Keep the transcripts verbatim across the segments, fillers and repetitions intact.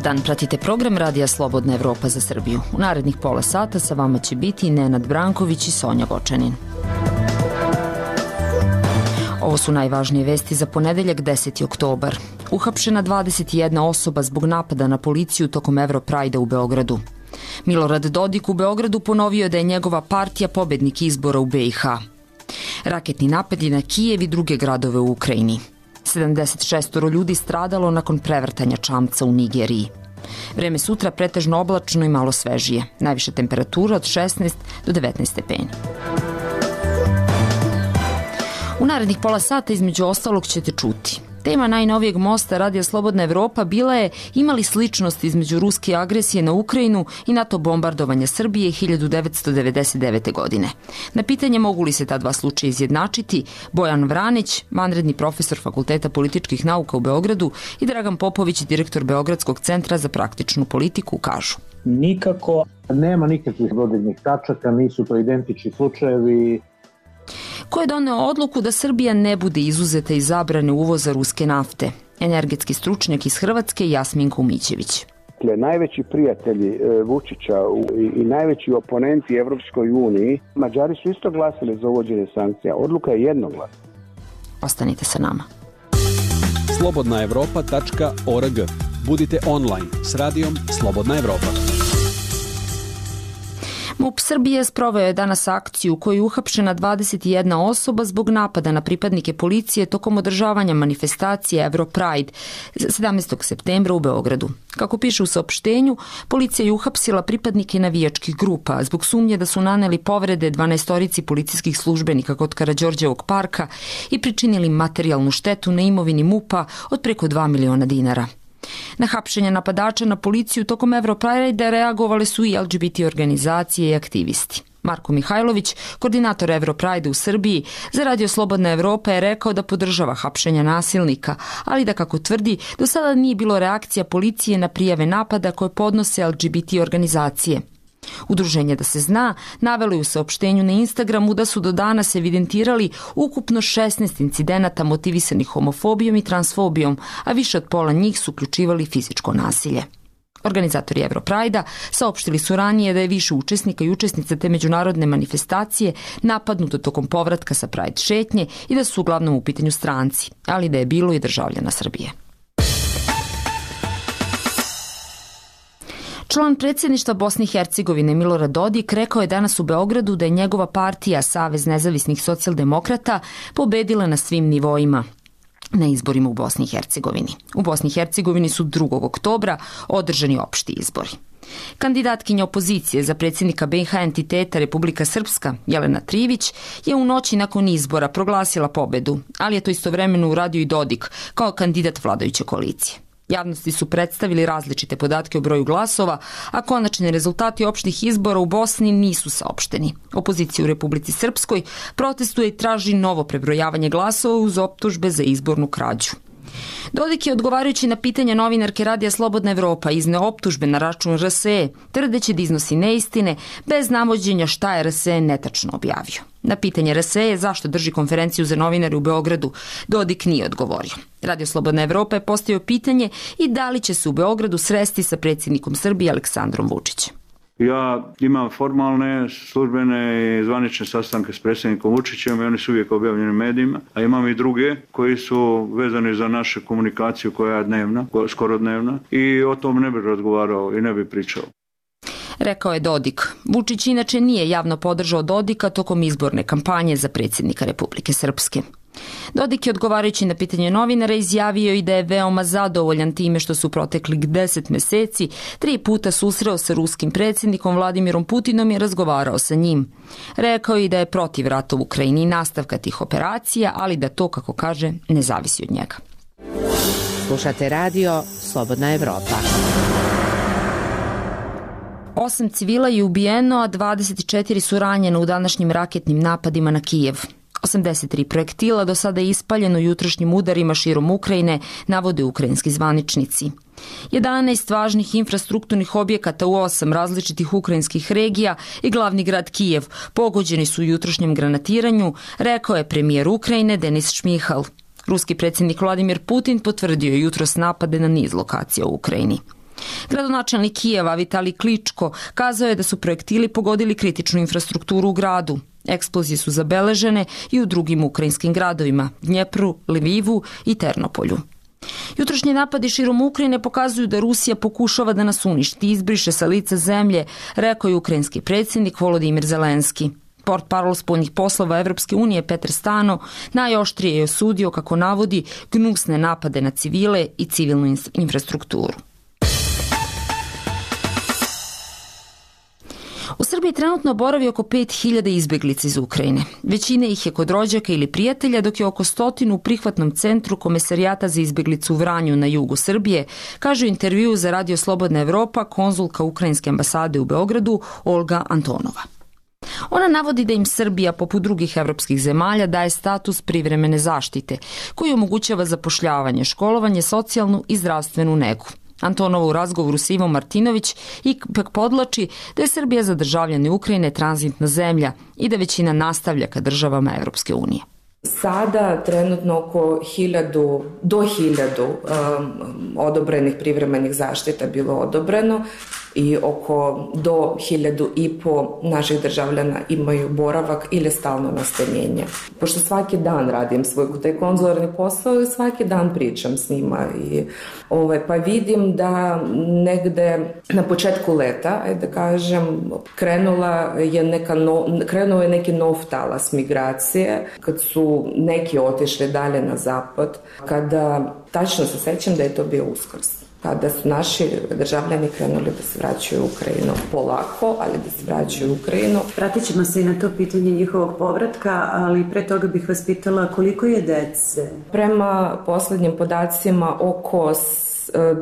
dan, pratite program Radija Slobodna Evropa za Srbiju. U narednih pola sata sa vama će biti Nenad Branković i Sonja Vočanin. Ovo su najvažnije vesti za ponedeljak deseti oktobar. Uhapšena dvadeset jedna osoba zbog napada na policiju tokom Europride-a u Beogradu. Milorad Dodik u Beogradu ponovio da je njegova partija pobednik izbora u B i H. Raketni napadi na Kijev i druge gradove u Ukrajini. sedamdeset šest ljudi stradalo nakon prevrtanja čamca u Nigeriji. Vreme sutra pretežno oblačno i malo svežije. Najviša temperatura od šesnaest do devetnaest stepeni. U narednih pola sata između ostalog ćete čuti. Tema najnovijeg mosta Radija Slobodna Evropa bila je imali sličnost između ruske agresije na Ukrajinu i NATO bombardovanja Srbije hiljadu devetsto devedeset devete. godine. Na pitanje mogu li se ta dva slučaja izjednačiti, Bojan Vranić, vanredni profesor Fakulteta političkih nauka u Beogradu, i Dragan Popović, direktor Beogradskog centra za praktičnu politiku, kažu. Nikako, nema nikakvih dodirnih tačaka, nisu to identični slučajevi. Ko je doneo odluku da Srbija ne bude izuzeta iz zabrane uvoza ruske nafte? Energetski stručnjak iz Hrvatske Jasmin Kumićević. Dakle, najveći prijatelji Vučića i najveći oponenti Evropskoj uniji, Mađari su isto glasili za uvođenje sankcija. Odluka je jednoglasna. Ostanite sa nama. slobodna evropa tačka org. Budite online s radijom Slobodna Evropa. MUP Srbije sproveo je danas akciju u kojoj je uhapšena dvadeset jedna osoba zbog napada na pripadnike policije tokom održavanja manifestacije Europride sedamnaestog septembra u Beogradu. Kako piše u saopštenju, policija je uhapsila pripadnike navijačkih grupa zbog sumnje da su naneli povrede dvanaestorici policijskih službenika kod Karađorđevog parka i pričinili materijalnu štetu na imovini MUP-a od preko dva miliona dinara. Na hapšenje napadača na policiju tokom Europride reagovali su i L G B T organizacije i aktivisti. Marko Mihajlović, koordinator Europride u Srbiji, za Radio Slobodna Evropa je rekao da podržava hapšenja nasilnika, ali da, kako tvrdi, do sada nije bilo reakcija policije na prijave napada koje podnose L G B T organizacije. Udruženje Da se zna navelo je u saopštenju na Instagramu da su do danas evidentirali ukupno šesnaest incidenata motivisanih homofobijom i transfobijom, a više od pola njih su uključivali fizičko nasilje. Organizatori Europride-a saopštili su ranije da je više učesnika i učesnica te međunarodne manifestacije napadnuto tokom povratka sa Pride šetnje i da su uglavnom u pitanju stranci, ali da je bilo i državljana Srbije. Član predsjedništva Bosne i Hercegovine Milorad Dodik rekao je danas u Beogradu da je njegova partija Savez nezavisnih socijaldemokrata pobedila na svim nivoima na izborima u Bosni i Hercegovini. U Bosni i Hercegovini su drugog oktobra održani opšti izbori. Kandidatkinja opozicije za predsjednika B i H entiteta Republika Srpska, Jelena Trivić, je u noći nakon izbora proglasila pobedu, ali je to istovremeno uradio i Dodik kao kandidat vladajuće koalicije. Javnosti su predstavili različite podatke o broju glasova, a konačni rezultati opštih izbora u Bosni nisu saopšteni. Opozicija u Republici Srpskoj protestuje i traži novo prebrojavanje glasova uz optužbe za izbornu krađu. Dodik je, odgovarajući na pitanje novinarke Radija Slobodna Evropa, izneo optužbe na račun R S E, tvrdeći da iznosi neistine bez navođenja šta je R S E netačno objavio. Na pitanje R S E zašto drži konferenciju za novinare u Beogradu, Dodik nije odgovorio. Radio Slobodna Evropa je postavio pitanje i da li će se u Beogradu sresti sa predsjednikom Srbije Aleksandrom Vučićem. Ja imam formalne, službene i zvanične sastanke s predsjednikom Vučićem i oni su uvijek objavljeni u medijima, a imam i druge koji su vezani za našu komunikaciju koja je dnevna, skoro dnevna, i o tom ne bih razgovarao i ne bih pričao. Rekao je Dodik. Vučić inače nije javno podržao Dodika tokom izborne kampanje za predsjednika Republike Srpske. Dodik je, odgovarajući na pitanje novinara, izjavio i da je veoma zadovoljan time što su proteklih deset meseci tri puta susreo sa ruskim predsjednikom Vladimirom Putinom i razgovarao sa njim. Rekao je i da je protiv rata u Ukrajini i nastavka tih operacija, ali da to, kako kaže, ne zavisi od njega. Slušate radio Slobodna Evropa. Osam civila je ubijeno, a dvadeset četiri su ranjene u današnjim raketnim napadima na Kijev. osamdeset tri projektila do sada je ispaljeno jutrošnjim udarima širom Ukrajine, navode ukrajinski zvaničnici. jedanaest važnih infrastrukturnih objekata u osam različitih ukrajinskih regija i glavni grad Kijev pogođeni su u jutrošnjem granatiranju, rekao je premijer Ukrajine Denis Šmihal. Ruski predsjednik Vladimir Putin potvrdio je jutros napade na niz lokacija u Ukrajini. Gradonačelnik Kijeva Vitali Kličko kazao je da su projektili pogodili kritičnu infrastrukturu u gradu. Eksplozije su zabeležene i u drugim ukrajinskim gradovima, Dnjepru, Lvivu i Ternopolju. Jutrošnji napadi širom Ukrajine pokazuju da Rusija pokušava da nas uništi i izbriše sa lica zemlje, rekao je ukrajinski predsjednik Volodimir Zelenski. Portparol spoljnih poslova Evropske unije Petar Stano najoštrije je osudio, kako navodi, gnusne napade na civile i civilnu infrastrukturu. U Srbiji trenutno boravi oko pet hiljada izbeglica iz Ukrajine. Većina ih je kod rođaka ili prijatelja, dok je oko stotinu u prihvatnom centru Komesarijata za izbeglicu u Vranju na jugu Srbije, kaže u intervjuu za Radio Slobodna Evropa konzulka Ukrajinske ambasade u Beogradu Olga Antonova. Ona navodi da im Srbija, poput drugih evropskih zemalja, daje status privremene zaštite, koji omogućava zapošljavanje, školovanje, socijalnu i zdravstvenu negu. Antonova u razgovoru s Ivom Martinović ipak podlači da je Srbija za državljane Ukrajine tranzitna zemlja i da većina nastavlja ka državama Evropske unije. Sada trenutno oko hiljadu, do hiljadu um, odobrenih privremenih zaštita bilo odobreno i oko do hiljadu i po naših državljana imaju boravak ili stalno nastanjenje. Pošto svaki dan radim svoj taj konzularni posao i svaki dan pričam s njima i ovaj, pa vidim da negde na početku leta, ajde da kažem, krenula je neka no, krenuo je neki nov talas migracije, kad su neki otišli dalje na zapad, kada tačno se sećam da je to bio Uskrs, kada su naši državljani krenuli da se vraćaju u Ukrajinu polako, ali da se vraćaju u Ukrajinu. Vratit ćemo se i na to pitanje njihovog povratka, ali pre toga bih vas pitala koliko je dece? Prema poslednjim podacima oko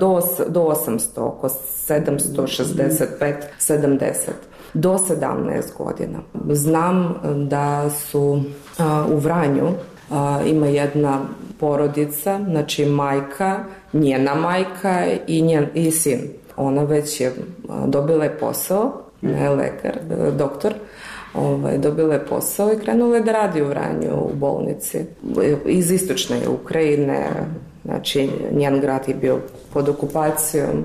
do, do osamsto, oko sedamsto šezdeset pet sedamdeset. Do sedamnaest godina. Znam da su a, u Vranju a, ima jedna porodica, znači majka, njena majka i, njen, i sin. Ona već je a, dobila je posao, ne lekar, doktor, ovaj, dobila je posao i krenula je da radi u Vranju u bolnici. Iz istočne Ukrajine, znači njen grad je bio pod okupacijom.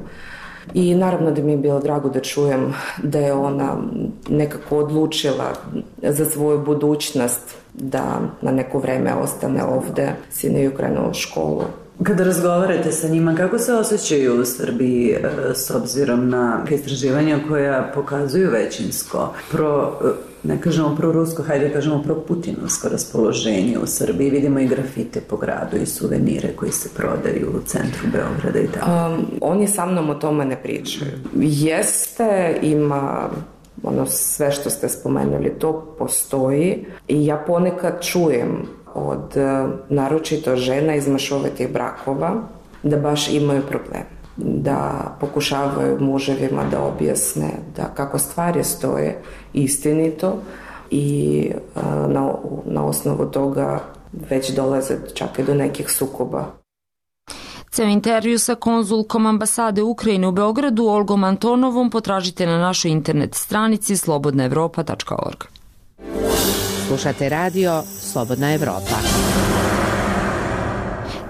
I naravno da mi je bilo drago da čujem da je ona nekako odlučila za svoju budućnost da na neko vreme ostane ovde. Sin je krenuo u školu. Kada razgovarate sa njima, kako se osjećaju u Srbiji s obzirom na istraživanja koja pokazuju većinsko pro, ne kažemo pro-rusko, hajde da kažemo pro-putinovsko raspoloženje u Srbiji? Vidimo i grafite po gradu i suvenire koji se prodaju u centru Beograda i tako. Um, oni sa mnom o tome ne pričaju. Jeste, ima ono sve što ste spomenuli, to postoji i ja ponekad čujem od naročito žena iz mešovitih brakova da baš imaju problem, da pokušavaju muževima da objasne da kako stvari stoje istinito i na, na osnovu toga već dolaze čak i do nekih sukoba. Ceo intervju sa konzulkom ambasade Ukrajine u Beogradu Olgom Antonovom potražite na našoj internet stranici slobodna evropa tačka org. Slušate radio Slobodna Evropa.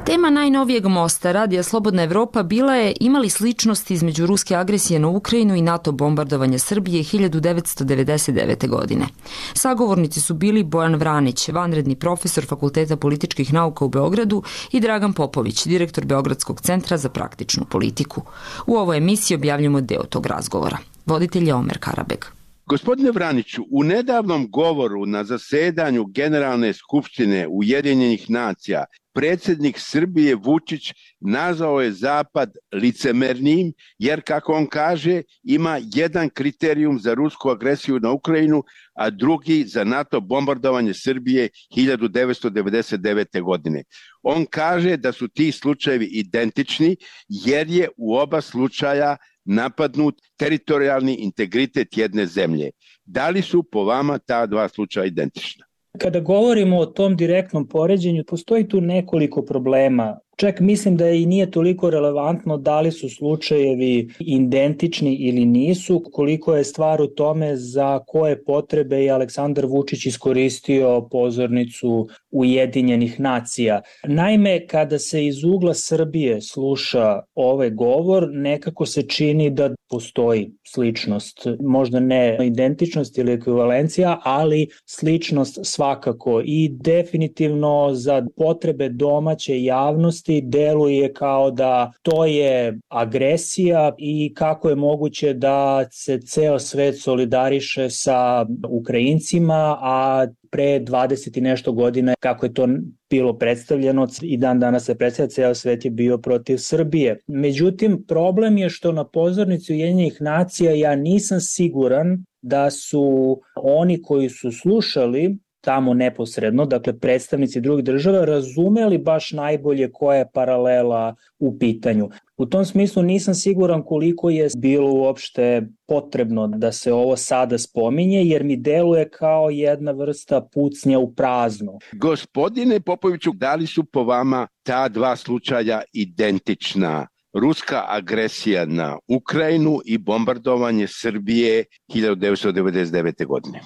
Tema najnovijeg mosta Radija Slobodna Evropa bila je imali sličnosti između ruske agresije na Ukrajinu i NATO bombardovanja Srbije hiljadu devetsto devedeset devete. godine. Sagovornici su bili Bojan Vranić, vanredni profesor Fakulteta političkih nauka u Beogradu, i Dragan Popović, direktor Beogradskog centra za praktičnu politiku. U ovoj emisiji objavljamo deo tog razgovora. Voditelj je Omer Karabeg. Gospodine Vraniću, u nedavnom govoru na zasedanju Generalne skupštine Ujedinjenih nacija predsjednik Srbije Vučić nazvao je Zapad licemernim jer, kako on kaže, ima jedan kriterijum za rusku agresiju na Ukrajinu, a drugi za NATO bombardovanje Srbije hiljadu devetsto devedeset devete. godine. On kaže da su ti slučajevi identični jer je u oba slučaja napadnut teritorijalni integritet jedne zemlje. Da li su po vama ta dva slučaja identična? Kada govorimo o tom direktnom poređenju, postoji tu nekoliko problema. Čak mislim da i nije toliko relevantno da li su slučajevi identični ili nisu, koliko je stvar u tome za koje potrebe je Aleksandar Vučić iskoristio pozornicu Ujedinjenih nacija. Naime, kada se iz ugla Srbije sluša ovaj govor, nekako se čini da postoji sličnost, možda ne identičnost ili ekvivalencija, ali sličnost svakako i definitivno za potrebe domaće javnosti deluje kao da to je agresija i kako je moguće da se ceo svet solidariše sa Ukrajincima, a pre dvadeset i nešto godina kako je to bilo predstavljeno i dan danas se predstavlja, ceo svet je bio protiv Srbije. Međutim, problem je što na pozornici Ujedinjenih nacija ja nisam siguran da su oni koji su slušali tamo neposredno, dakle predstavnici drugih država, razumeli baš najbolje koja je paralela u pitanju. U tom smislu nisam siguran koliko je bilo uopšte potrebno da se ovo sada spominje, jer mi deluje kao jedna vrsta pucnja u prazno. Gospodine Popoviću, da li su po vama ta dva slučaja identična? Ruska agresija na Ukrajinu i bombardovanje Srbije hiljadu devetsto devedeset devete. godine.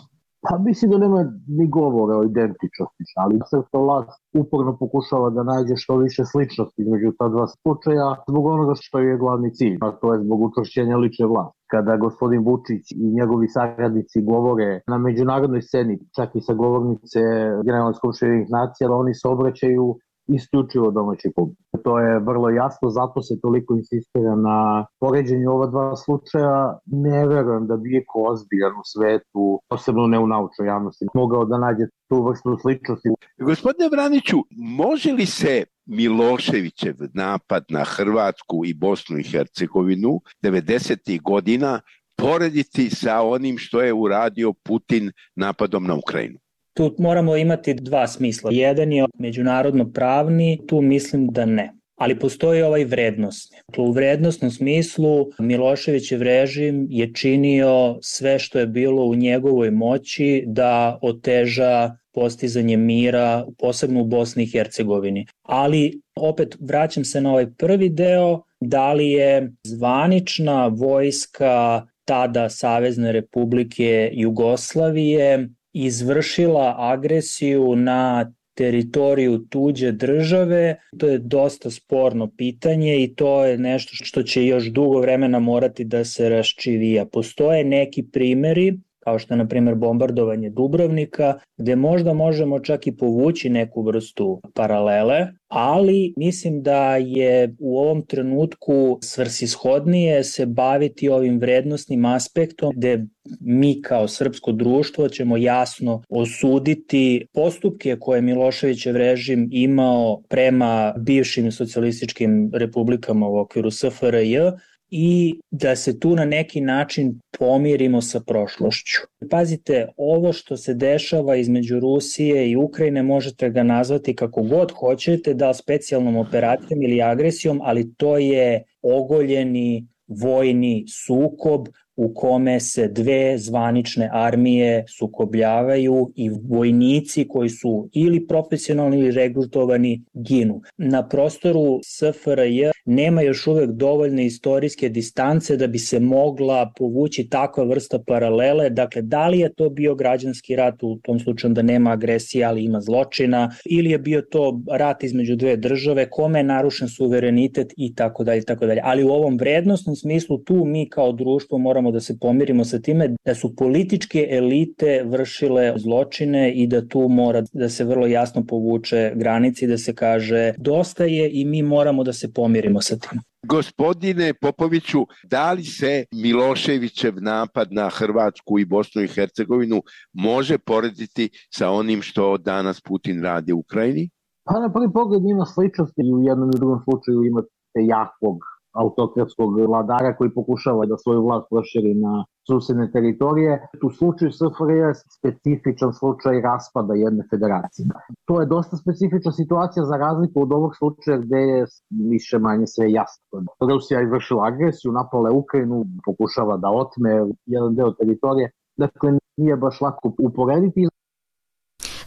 Pa mislim da nema ni govora o identičnosti, ali srpska vlast uporno pokušava da nađe što više sličnosti između ta dva slučaja zbog onoga što je glavni cilj, a to je zbog učvršćenja lične vlasti. Kada gospodin Vučić i njegovi saradnici govore na međunarodnoj sceni, čak i sa govornice Generalne skupštine Ujedinjenih nacija, oni se obraćaju isključivo domaći publik. To je vrlo jasno, zato se toliko insistira na poređenju ova dva slučaja. Ne verujem da bi iko ozbiljan u svetu, posebno ne u naučnoj javnosti, mogao da nađe tu vrstu sličnosti. Gospodine Vraniću, može li se Miloševićev napad na Hrvatsku i Bosnu i Hercegovinu devedesetih godina porediti sa onim što je uradio Putin napadom na Ukrajinu? Tu moramo imati dva smisla. Jedan je međunarodno pravni, tu mislim da ne. Ali postoji ovaj vrednostni. U vrednostnom smislu Miloševićev režim je činio sve što je bilo u njegovoj moći da oteža postizanje mira, posebno u Bosni i Hercegovini. Ali opet vraćam se na ovaj prvi deo, da li je zvanična vojska tada Savezne Republike Jugoslavije izvršila agresiju na teritoriju tuđe države, to je dosta sporno pitanje i to je nešto što će još dugo vremena morati da se raščivija. Postoje neki primeri, kao što je na primjer bombardovanje Dubrovnika, gde možda možemo čak i povući neku vrstu paralele, ali mislim da je u ovom trenutku svrsishodnije se baviti ovim vrednosnim aspektom, gde mi kao srpsko društvo ćemo jasno osuditi postupke koje Miloševićev režim imao prema bivšim socijalističkim republikama u okviru S F R J, i da se tu na neki način pomirimo sa prošlošću. Pazite, ovo što se dešava između Rusije i Ukrajine možete ga nazvati kako god hoćete, da li specijalnom operacijom ili agresijom, ali to je ogoljeni vojni sukob u kome se dve zvanične armije sukobljavaju i vojnici koji su ili profesionalni ili regrutovani ginu. Na prostoru S F R J nema još uvek dovoljne istorijske distance da bi se mogla povući takva vrsta paralele. Dakle, da li je to bio građanski rat, u tom slučaju da nema agresije, ali ima zločina, ili je bio to rat između dve države, kome je narušen suverenitet i tako dalje, tako dalje. Ali u ovom vrednostnom smislu tu mi kao društvo moramo da se pomirimo sa time da su političke elite vršile zločine i da tu mora da se vrlo jasno povuče granici, da se kaže dosta je i mi moramo da se pomirimo sa tim. Gospodine Popoviću, da li se Miloševićev napad na Hrvatsku i Bosnu i Hercegovinu može porediti sa onim što danas Putin radi u Ukrajini? Pa na prvi pogled ima sličnosti i u jednom i u drugom slučaju imate jakog autokratskog vladara koji pokušava da svoju vlast proširi na susedne teritorije. U slučaju S F R J je specifičan slučaj raspada jedne federacije. To je dosta specifična situacija za razliku od ovog slučaja gde je više manje sve jasno. Rusija je izvršila agresiju, napala je Ukrajinu, pokušava da otme jedan deo teritorije. Dakle, nije baš lako uporediti.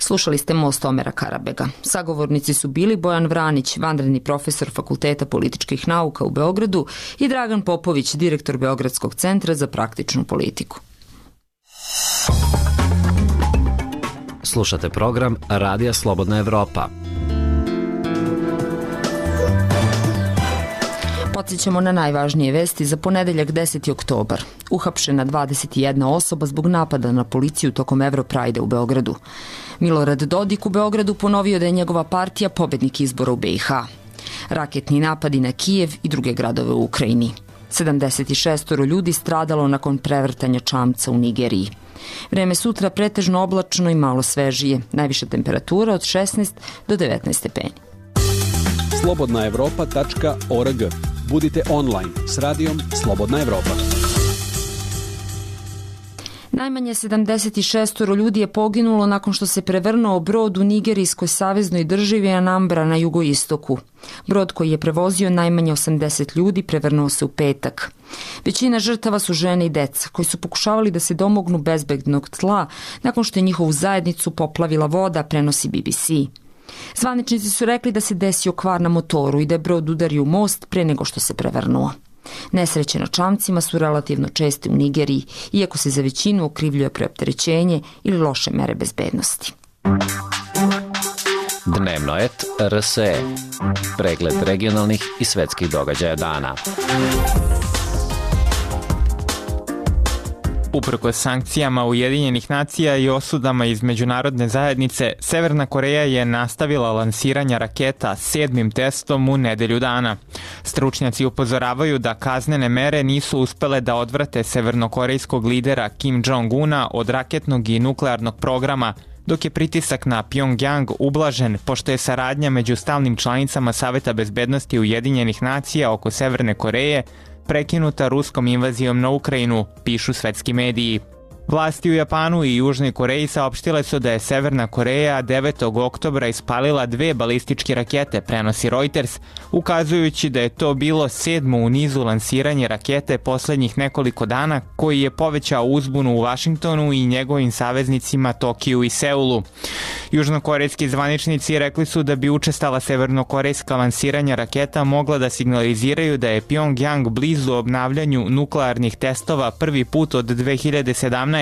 Slušali ste Most Omera Karabega. Sagovornici su bili Bojan Vranić, vanredni profesor Fakulteta političkih nauka u Beogradu i Dragan Popović, direktor Beogradskog centra za praktičnu politiku. Slušate program Radija Slobodna Evropa. Podsjećamo na najvažnije vesti za ponedeljak deseti oktobar. Uhapšena dvadeset jedna osoba zbog napada na policiju tokom Evroprajda u Beogradu. Milorad Dodik u Beogradu ponovio da je njegova partija pobednik izbora u B i H. Raketni napadi na Kijev i druge gradove u Ukrajini. sedamdeset šest ljudi stradalo nakon prevrtanja čamca u Nigeriji. Vreme sutra pretežno oblačno i malo svežije. Najviša temperatura od šesnaest do devetnaest stepeni. slobodna evropa tačka org. Budite online s radijom Slobodna Evropa. Najmanje sedamdeset šest ljudi je poginulo nakon što se prevrnuo brod u nigerijskoj saveznoj državi Anambra na jugoistoku. Brod koji je prevozio najmanje osamdeset ljudi prevrnuo se u petak. Većina žrtava su žene i deca koji su pokušavali da se domognu bezbednog tla nakon što je njihovu zajednicu poplavila voda, prenosi B B C. Zvaničnici su rekli da se desio kvar na motoru i da je brod udario u most pre nego što se prevrnuo. Nesreće na čamcima su relativno česte u Nigeriji, iako se za većinu okrivljuje preopterećenje ili loše mere bezbednosti. Dnevnoet R S E. Pregled regionalnih i svetskih događaja dana. Uprkos sankcijama Ujedinjenih nacija i osudama iz međunarodne zajednice, Severna Koreja je nastavila lansiranja raketa sedmim testom u nedelju dana. Stručnjaci upozoravaju da kaznene mere nisu uspele da odvrate severnokorejskog lidera Kim Jong-una od raketnog i nuklearnog programa, dok je pritisak na Pyongyang ublažen pošto je saradnja među stalnim članicama Saveta bezbednosti Ujedinjenih nacija oko Severne Koreje prekinuta ruskom invazijom na Ukrajinu, pišu svetski mediji. Vlasti u Japanu i Južnoj Koreji saopštile su da je Severna Koreja devetog oktobra ispalila dve balističke rakete, prenosi Reuters, ukazujući da je to bilo sedmo u nizu lansiranje rakete poslednjih nekoliko dana, koji je povećao uzbunu u Vašingtonu i njegovim saveznicima Tokiju i Seulu. Južnokorejski zvaničnici rekli su da bi učestala severnokorejska lansiranja raketa mogla da signaliziraju da je Pyongyang blizu obnavljanju nuklearnih testova prvi put od dve hiljade sedamnaeste.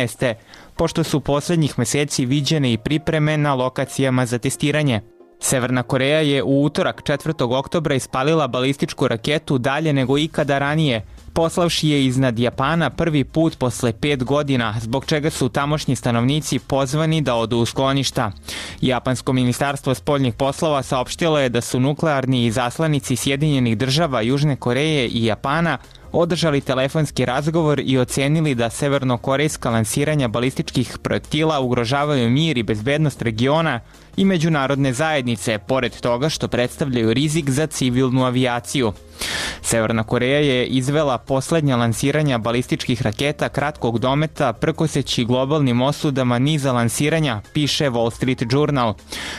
pošto su poslednjih meseci viđene i pripreme na lokacijama za testiranje. Severna Koreja je u utorak četvrtog oktobra ispalila balističku raketu dalje nego ikada ranije, poslavši je iznad Japana prvi put posle pet godina, zbog čega su tamošnji stanovnici pozvani da odu u skloništa. Japansko ministarstvo spoljnih poslova saopštilo je da su nuklearni izaslanici Sjedinjenih država, Južne Koreje i Japana održali telefonski razgovor i ocenili da severnokorejska lansiranja balističkih projektila ugrožavaju mir i bezbednost regiona i međunarodne zajednice, pored toga što predstavljaju rizik za civilnu avijaciju. Severna Koreja je izvela poslednja lansiranja balističkih raketa kratkog dometa prkoseći globalnim osudama niza lansiranja, piše Wall Street Journal.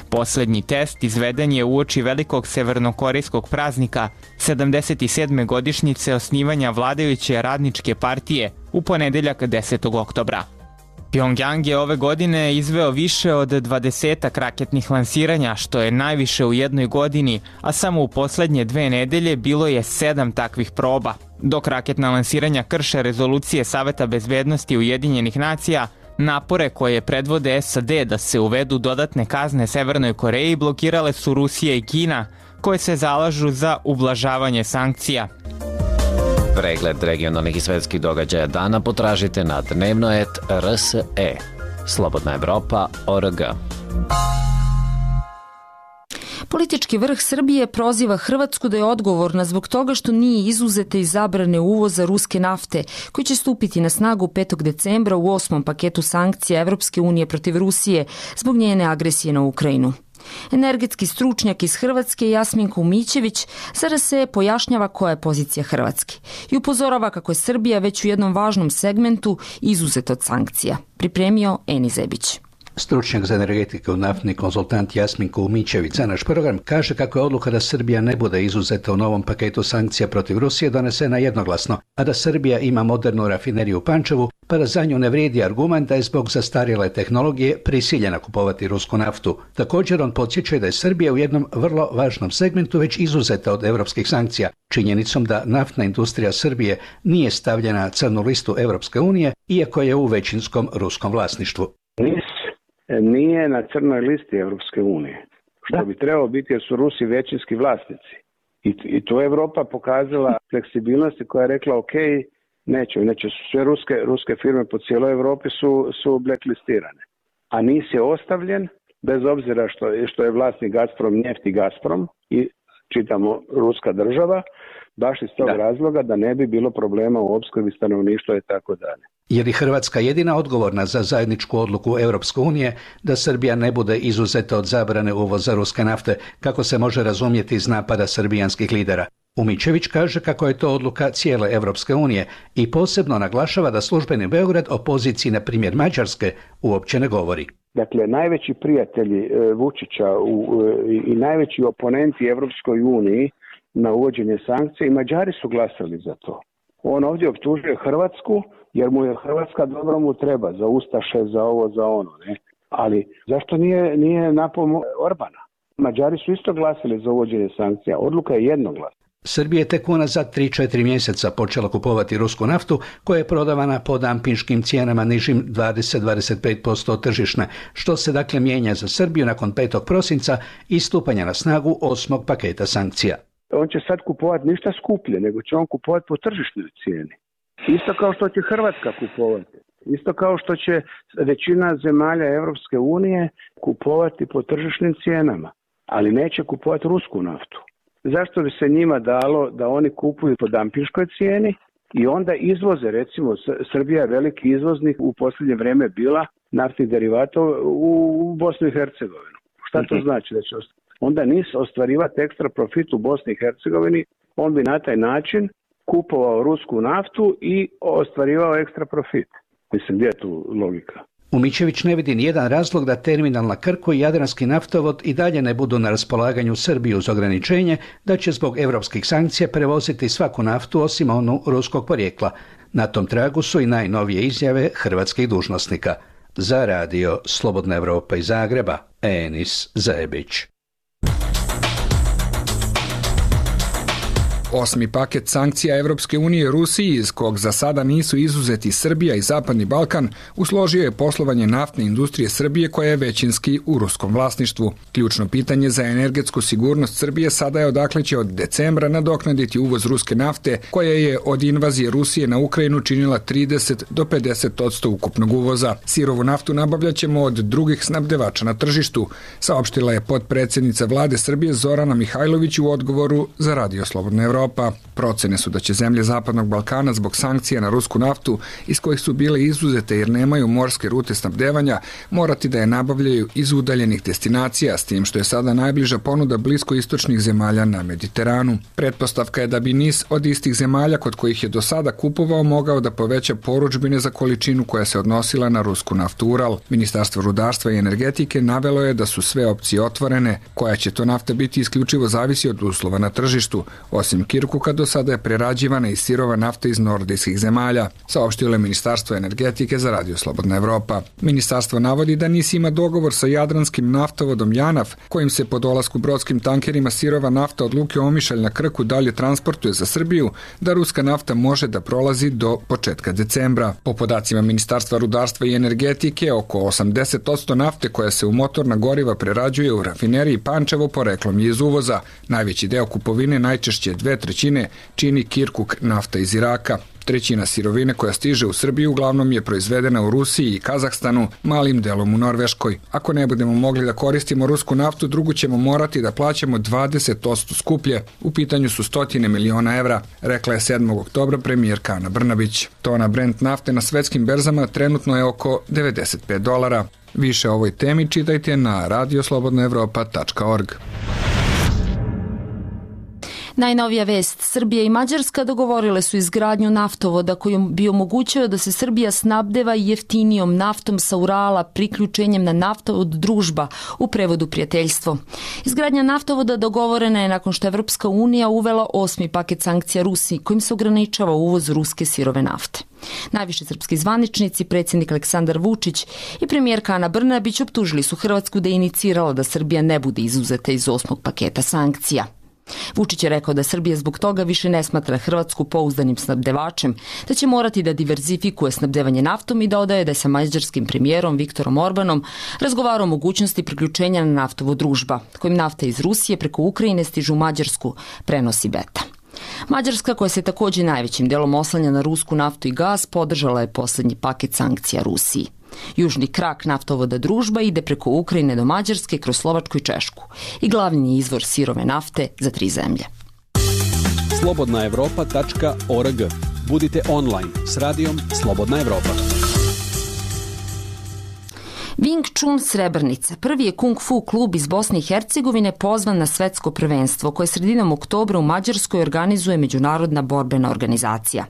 Poslednji test izveden je uoči velikog severnokorejskog praznika, sedamdeset sedme godišnjice osnivanja vladajuće radničke partije, u ponedeljak desetog oktobra. Pyongyang je ove godine izveo više od dvadesetak raketnih lansiranja, što je najviše u jednoj godini, a samo u poslednje dve nedelje bilo je sedam takvih proba. Dok raketna lansiranja krše rezolucije Saveta bezbednosti Ujedinjenih nacija, napore koje predvode S A D da se uvedu dodatne kazne Severnoj Koreji blokirale su Rusija i Kina, koje se zalažu za ublažavanje sankcija. Pregled regionalnih i svetskih događaja dana potražite na dnevnoet R S E. Slobodna Evropa tačka org. Politički vrh Srbije proziva Hrvatsku da je odgovorna zbog toga što nije izuzeta iz zabrane uvoza ruske nafte, koji će stupiti na snagu petog decembra u osmom paketu sankcija Evropske unije protiv Rusije zbog njene agresije na Ukrajinu. Energetski stručnjak iz Hrvatske Jasminko Umićević za R S E pojašnjava koja je pozicija Hrvatske i upozorava kako je Srbija već u jednom važnom segmentu izuzeta od sankcija. Pripremio Eni Zebić. Stručnjak za energetiku, naftni konzultant Jasminko Umićević za naš program kaže kako je odluka da Srbija ne bude izuzeta u novom paketu sankcija protiv Rusije donesena jednoglasno, a da Srbija ima modernu rafineriju u Pančevu, pa da za nju ne vrijedi argument da je zbog zastarjele tehnologije prisiljena kupovati rusku naftu. Također on podsjeća da je Srbija u jednom vrlo važnom segmentu već izuzeta od europskih sankcija, činjenicom da naftna industrija Srbije nije stavljena na crnu listu Europske unije, iako je u većinskom ruskom vlasništvu. Nije na crnoj listi Europske unije, što bi trebalo biti jer su Rusi većinski vlasnici. I, i to je Evropa pokazala fleksibilnosti koja je rekla ok, neće, neće sve ruske, ruske firme po cijeloj Evropi su, su blacklistirane. A NIS je ostavljen, bez obzira što, što je vlasnik Gazprom, Njeft i Gazprom i čitamo ruska država, baš iz tog da. razloga da ne bi bilo problema u opskrbi stanovništva i tako dalje. Je li Hrvatska jedina odgovorna za zajedničku odluku Europske unije da Srbija ne bude izuzeta od zabrane uvoza ruske nafte, kako se može razumjeti iz napada srbijanskih lidera? Umićević kaže kako je to odluka cijele Europske unije i posebno naglašava da službeni Beograd o poziciji, na primjer Mađarske, uopće ne govori. Dakle, najveći prijatelji e, Vučića u, e, i najveći oponenti Europskoj uniji na uvođenje sankcija i Mađari su glasali za to. On ovdje optužuje Hrvatsku jer mu je Hrvatska dobro mu treba za ustaše, za ovo, za ono. Ne? Ali zašto nije, nije napao Orbana? Mađari su isto glasili za uvođenje sankcija. Odluka je jednoglasna. Srbija je tek unazad tri do četiri mjeseca počela kupovati rusku naftu koja je prodavana po dampinškim cijenama nižim dvadeset do dvadeset pet posto od tržišne, što se dakle mijenja za Srbiju nakon petog prosinca i stupanja na snagu osmog paketa sankcija. On će sad kupovati ništa skuplje, nego će on kupovati po tržišnoj cijeni. Isto kao što će Hrvatska kupovati. Isto kao što će većina zemalja Europske unije kupovati po tržišnim cijenama, ali neće kupovati rusku naftu. Zašto bi se njima dalo da oni kupuju po dampinškoj cijeni i onda izvoze, recimo Srbija je veliki izvoznik u posljednje vrijeme bila naftnih derivata u Bosnu i Hercegovinu. Šta to znači? Da će onda NIS ostvarivati ekstra profit u Bosni i Hercegovini, on bi na taj način kupovao rusku naftu i ostvarivao ekstra profit. Mislim, gdje je tu logika? Umićević ne vidi nijedan razlog da terminal na Krku i Jadranski naftovod i dalje ne budu na raspolaganju Srbiji uz ograničenje da će zbog europskih sankcija prevoziti svaku naftu osim onu ruskog porijekla. Na tom tragu su i najnovije izjave hrvatskih dužnosnika. Za radio Slobodna Evropa iz Zagreba, Enis Zajebić. Osmi paket sankcija Evropske unije Rusiji, iz kog za sada nisu izuzeti Srbija i Zapadni Balkan, usložio je poslovanje naftne industrije Srbije koja je većinski u ruskom vlasništvu. Ključno pitanje za energetsku sigurnost Srbije sada je odakle će od decembra nadoknaditi uvoz ruske nafte, koja je od invazije Rusije na Ukrajinu činila trideset do pedeset odsto ukupnog uvoza. Sirovu naftu nabavljaćemo od drugih snabdevača na tržištu, saopštila je potpredsjednica vlade Srbije Zorana Mihajlović u odgovoru za radio Slobodna Evropa. Procene su da će zemlje Zapadnog Balkana zbog sankcija na rusku naftu, iz kojih su bile izuzete jer nemaju morske rute snabdevanja, morati da je nabavljaju iz udaljenih destinacija, s tim što je sada najbliža ponuda bliskoistočnih zemalja na Mediteranu. Pretpostavka je da bi NIS od istih zemalja kod kojih je do sada kupovao mogao da poveća porudžbine za količinu koja se odnosila na rusku naftu Ural. Ministarstvo rudarstva i energetike navelo je da su sve opcije otvorene, koja će to nafta biti isključivo zavisi od uslova na tržištu. Osim Kirkuka, do sada je prerađivana i sirova nafta iz nordijskih zemalja, saopštilo je Ministarstvo energetike za radio Slobodna Evropa. Ministarstvo navodi da NIS ima dogovor sa jadranskim naftovodom Janaf, kojim se po dolasku brodskim tankerima sirova nafta od luke Omišalj na Krku dalje transportuje za Srbiju, da ruska nafta može da prolazi do početka decembra. Po podacima Ministarstva rudarstva i energetike, oko osamdeset odsto nafte koja se u motorna goriva prerađuje u rafineriji Pančevo poreklom je iz uvoza. Najveći deo kupovine, najčešće dve trećine, čini Kirkuk nafta iz Iraka. Trećina sirovine koja stiže u Srbiju uglavnom je proizvedena u Rusiji i Kazahstanu, malim delom u Norveškoj. Ako ne budemo mogli da koristimo rusku naftu, drugu ćemo morati da plaćamo dvadeset odsto skuplje. U pitanju su stotine miliona evra, rekla je sedmog oktobra premijerka Ana Brnabić. Tona Brent nafte na svetskim berzama trenutno je oko devedeset pet dolara. Više o ovoj temi čitajte na radio slobodna evropa tačka org. Najnovija vest, Srbija i Mađarska dogovorile su izgradnju naftovoda kojom bi omogućio da se Srbija snabdeva jeftinijom naftom sa Urala priključenjem na naftovod Družba, u prevodu prijateljstvo. Izgradnja naftovoda dogovorena je nakon što Evropska unija uvela osmi paket sankcija Rusiji kojim se ograničava uvoz ruske sirove nafte. Najviši srpski zvaničnici, predsjednik Aleksandar Vučić i premijerka Ana Brnabić optužili su Hrvatsku da je inicirala da Srbija ne bude izuzeta iz osmog paketa sankcija. Vučić je rekao da Srbija zbog toga više ne smatra Hrvatsku pouzdanim snabdevačem, da će morati da diverzifikuje snabdevanje naftom i dodaje da je sa mađarskim premijerom Viktorom Orbanom razgovarao o mogućnosti priključenja na naftovo Družba, kojim nafta iz Rusije preko Ukrajine stižu u Mađarsku, prenosi Beta. Mađarska, koja se također najvećim delom oslanja na rusku naftu i gas, podržala je poslednji paket sankcija Rusiji. Južni krak naftovoda Družba ide preko Ukrajine do Mađarske kroz Slovačku i Češku i glavni je izvor sirove nafte za tri zemlje. slobodna evropa tačka org. Budite online s radijom Slobodna Evropa. Wing Chun Srebrnica, prvi je kung fu klub iz Bosne i Hercegovine pozvan na svetsko prvenstvo koje sredinom oktobra u Mađarskoj organizuje Međunarodna borbena organizacija.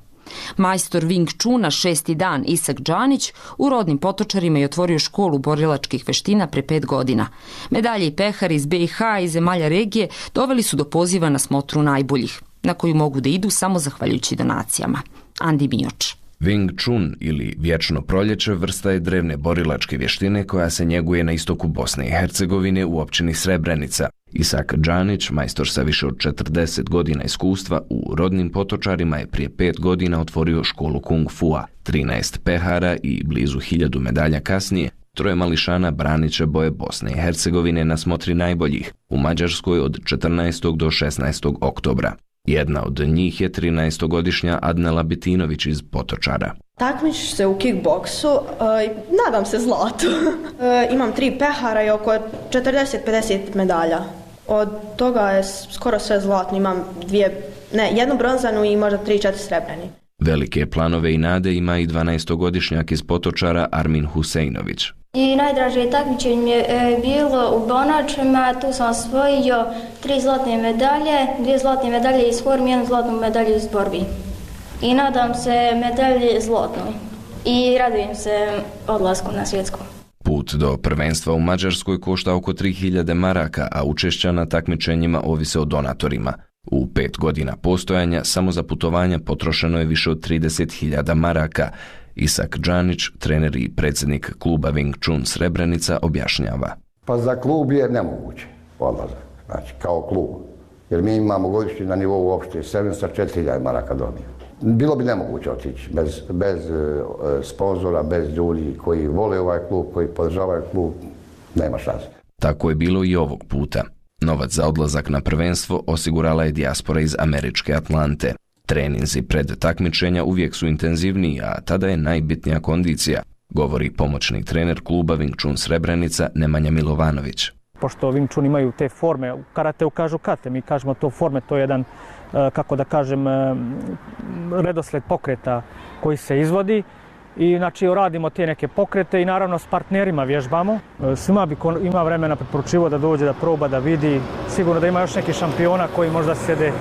Majstor Wing Chuna šesti dan Isak Džanić u Rodnim Potočarima je otvorio školu borilačkih veština pre pet godina. Medalje i pehari iz be i ha i zemalja regije doveli su do poziva na smotru najboljih, na koju mogu da idu samo zahvaljujući donacijama. Andi Mioč. Wing Chun ili vječno proljeće vrsta je drevne borilačke vještine koja se njeguje na istoku Bosne i Hercegovine u općini Srebrenica. Isak Džanić, majstor sa više od četrdeset godina iskustva, u Rodnim Potočarima je prije pet godina otvorio školu kung fua. trinaest pehara i blizu hiljadu medalja kasnije, troje mališana branit će boje Bosne i Hercegovine na smotri najboljih u Mađarskoj od četrnaestog do šesnaestog oktobra. Jedna od njih je trinaestogodišnja Adnela Bitinović iz Potočara. Takmičim se u kickboksu, e, nadam se zlatu. E, imam tri pehara i oko četrdeset do pedeset medalja. Od toga je skoro sve zlatno, imam dvije, ne, jednu bronzanu i možda tri četiri srebreni. Velike planove i nade ima i dvanaestogodišnjak iz Potočara Armin Huseinović. I najdraže takmičenje mi je e, bilo u Bonačima, tu sam osvojio tri zlatne medalje, dvije zlatne medalje iz formi, jednu zlatnu medalju iz borbi. I nadam se medalje zlatnoj. I radujem se odlasku na svjetsku. Put do prvenstva u Mađarskoj košta oko tri hiljade maraka, a učešća na takmičenjima ovise o donatorima. U pet godina postojanja samo za putovanja potrošeno je više od trideset hiljada maraka. Isak Džanić, trener i predsjednik kluba Wing Chun Srebrenica, objašnjava. Pa za klub je nemoguće odlazak, znači kao klub. Jer mi imamo godišnji na nivou uopšte sedamsto četiri hiljade maraka dobio. Bilo bi nemoguće otići bez, bez uh, sponzora, bez ljudi koji vole ovaj klub, koji podržavaju klub, nema šanse. Tako je bilo i ovog puta. Novac za odlazak na prvenstvo osigurala je dijaspora iz američke Atlante. Treninzi pred takmičenja uvijek su intenzivniji, a tada je najbitnija kondicija, govori pomoćni trener kluba Wing Chun Srebrenica Nemanja Milovanović. Pošto Wing Chun imaju te forme, u karateu kažu kate, mi kažemo to forme, to je jedan, kako da kažem, redosled pokreta koji se izvodi. I znači radimo te neke pokrete i naravno s partnerima vježbamo. Svima bi ko ima vremena preporučivo da dođe, da proba, da vidi. Sigurno da ima još neki šampiona koji možda sjede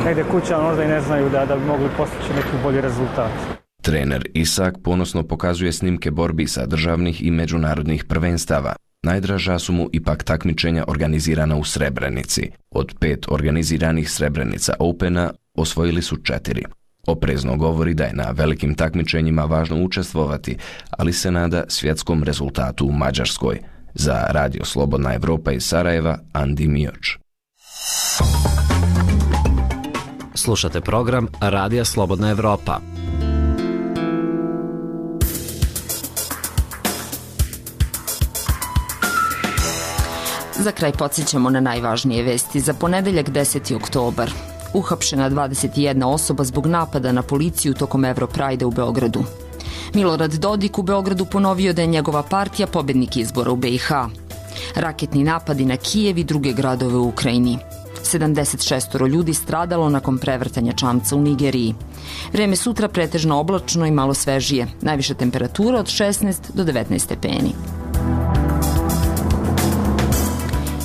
negdje kuća, možda i ne znaju da, da bi mogli postići neki bolji rezultat. Trener Isak ponosno pokazuje snimke borbi sa državnih i međunarodnih prvenstava. Najdraža su mu ipak takmičenja organizirana u Srebrenici. Od pet organiziranih Srebrenica Opena osvojili su četiri. Oprezno govori da je na velikim takmičenjima važno učestvovati, ali se nada svjetskom rezultatu u Mađarskoj. Za Radio Slobodna Evropa iz Sarajeva, Andi Mioč. Slušate program Radija Slobodna Evropa. Za kraj podsjećamo na najvažnije vesti za ponedeljak deseti oktobar. Uhapšena dvadeset jedna osoba zbog napada na policiju tokom Europride u Beogradu. Milorad Dodik u Beogradu ponovio da je njegova partija pobednik izbora u be i ha. Raketni napadi na Kijev i druge gradove u Ukrajini. sedamdeset šest ljudi stradalo nakon prevrtanja čamca u Nigeriji. Vreme sutra pretežno oblačno i malo svežije. Najviša temperatura od šesnaest do devetnaest stepeni.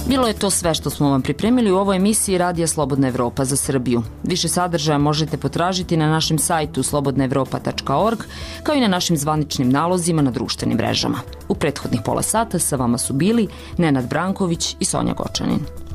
Bilo je to sve što smo vam pripremili u ovoj emisiji Radija Slobodna Evropa za Srbiju. Više sadržaja možete potražiti na našem sajtu slobodna evropa tačka org, kao i na našim zvaničnim nalozima na društvenim mrežama. U prethodnih pola sata sa vama su bili Nenad Branković i Sonja Gočanin.